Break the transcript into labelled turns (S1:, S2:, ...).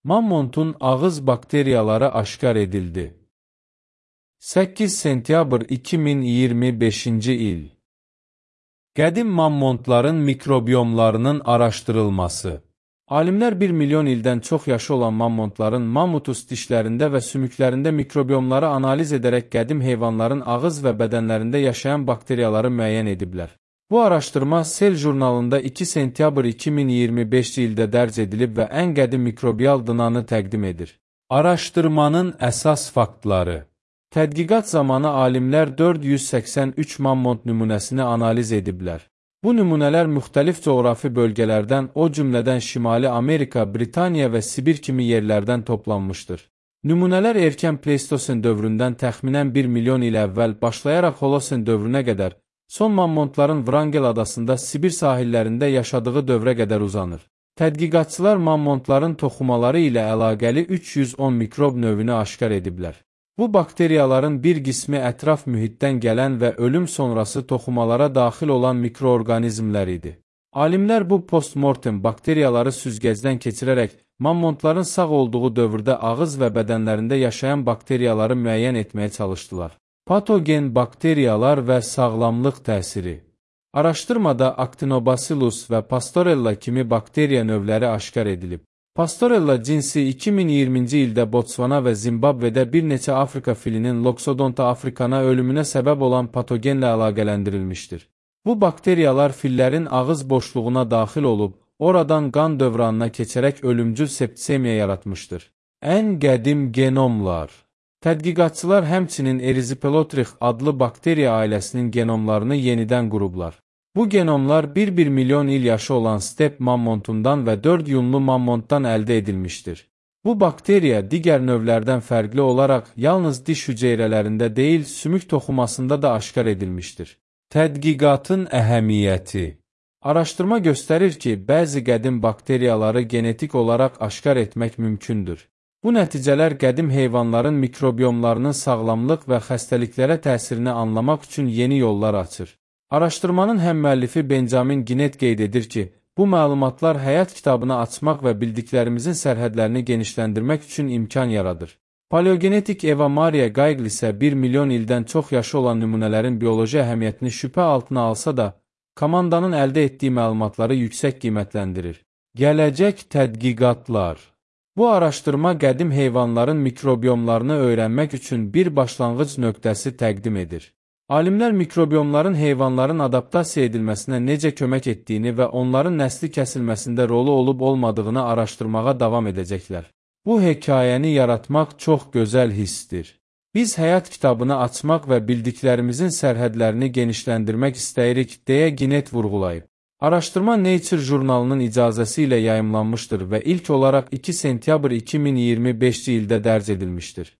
S1: Mammontun ağız bakteriyaları aşkar edildi. 8 sentyabr 2025-ci il. Qədim mammontların mikrobiyomlarının araşdırılması. Alimlər 1 milyon ildən çox yaşı olan mammontların mammutus dişlərində və sümüklərində mikrobiyomları analiz edərək qədim heyvanların ağız və bədənlərində yaşayan bakteriyaları müəyyən ediblər. Bu araşdırma Cell jurnalında 2 sentyabr 2025-ci ildə dərc edilib və ən qədim mikrobiyal dınanı təqdim edir. Araşdırmanın əsas faktları. Tədqiqat zamanı alimlər 483 mammont nümunəsini analiz ediblər. Bu nümunələr müxtəlif coğrafi bölgələrdən, o cümlədən Şimali Amerika, Britaniya və Sibir kimi yerlərdən toplanmışdır. Nümunələr erkən Pleistosen dövründən təxminən 1 milyon il əvvəl başlayaraq Holosen dövrünə qədər, son mammontların Vrangel adasında Sibir sahillərində yaşadığı dövrə qədər uzanır. Tədqiqatçılar mammontların toxumaları ilə əlaqəli 310 mikrob növünü aşkar ediblər. Bu bakteriyaların bir qismi ətraf mühitdən gələn və ölüm sonrası toxumalara daxil olan mikroorqanizmlər idi. Alimlər bu postmortem bakteriyaları süzgəcdən keçirərək mammontların sağ olduğu dövrdə ağız və bədənlərində yaşayan bakteriyaları müəyyən etməyə çalışdılar. Patogen bakteriyalar və sağlamlıq təsiri. Araşdırmada Actinobacillus və Pastorella kimi bakteriya növləri aşkar edilib. Pastorella cinsi 2020-ci ildə Botsvana və Zimbabvedə bir neçə Afrika filinin Loxodonta africana ölümünə səbəb olan patogenlə əlaqələndirilmişdir. Bu bakteriyalar fillərin ağız boşluğuna daxil olub, oradan qan dövranına keçərək ölümcül septisemiya yaratmışdır. Ən qədim genomlar. Tədqiqatçılar həmçinin Erysipelotrix adlı bakteriya ailəsinin genomlarını yenidən qurublar. Bu genomlar 1 milyon il yaşı olan step mammontundan və 4 yunlu mammontdan əldə edilmişdir. Bu bakteriya digər növlərdən fərqli olaraq yalnız diş hüceyrələrində deyil, sümük toxumasında da aşkar edilmişdir. Tədqiqatın əhəmiyyəti. Araşdırma göstərir ki, bəzi qədim bakteriyaları genetik olaraq aşkar etmək mümkündür. Bu nəticələr qədim heyvanların mikrobiyomlarının sağlamlıq və xəstəliklərə təsirini anlamaq üçün yeni yollar açır. Araşdırmanın həmmüəllifi Benjamin Ginett qeyd edir ki, bu məlumatlar həyat kitabını açmaq və bildiklərimizin sərhədlərini genişləndirmək üçün imkan yaradır. Paleogenetik Eva Maria Geigl isə 1 milyon ildən çox yaşı olan nümunələrin bioloji əhəmiyyətini şübhə altına alsa da, komandanın əldə etdiyi məlumatları yüksək qiymətləndirir. Gələcək tədqiqatlar. Bu araşdırma qədim heyvanların mikrobiyomlarını öyrənmək üçün bir başlanğıc nöqtəsi təqdim edir. Alimlər mikrobiyomların heyvanların adaptasiya edilməsinə necə kömək etdiyini və onların nəsli kəsilməsində rolu olub-olmadığını araşdırmağa davam edəcəklər. Bu hekayəni yaratmaq çox gözəl hissdir. Biz həyat kitabını açmaq və bildiklərimizin sərhədlərini genişləndirmək istəyirik, deyə Ginett vurğulayıb. Araşdırma Nature jurnalının icazəsi ilə yayımlanmışdır və ilk olaraq 2 sentyabr 2025-ci ildə dərc edilmişdir.